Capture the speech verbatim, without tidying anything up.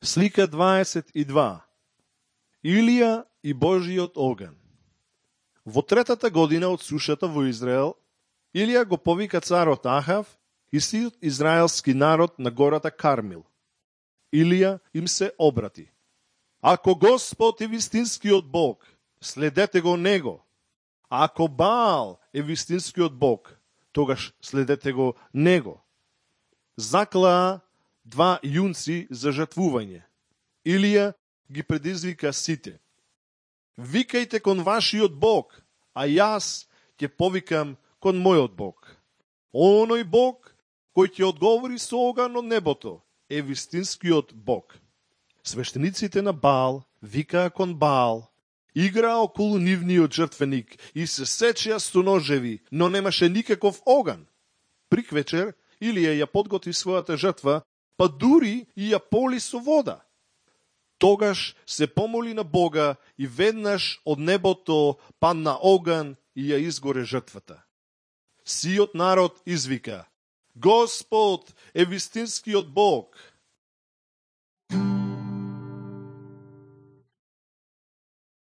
Слика дваесет и два. Илија и Божиот оган. Во третата година од сушата во Израел, Илија го повика царот Ахав и сиот израелски народ на гората Кармил. Илија им се обрати. Ако Господ е вистинскиот Бог, следете го Него. А ако Баал е вистинскиот Бог, тогаш следете го Него. Заклаа два јунци за жртвување. Илија ги предизвика сите. Викајте кон вашиот Бог, а јас ќе повикам кон мојот Бог. Оној Бог кој ќе одговори со оган од небото е вистинскиот Бог. Свештениците на Баал викаа кон Баал, играа околу нивниот жртвеник и се сечеа со ножеви, но немаше никаков оган. Приквечер Илија ја подготви својата жртва, па дури и ја поли со вода. Тогаш се помоли на Бога и веднаш од небото падна оган и ја изгоре жртвата. Сиот народ извика: Господ е вистинскиот Бог.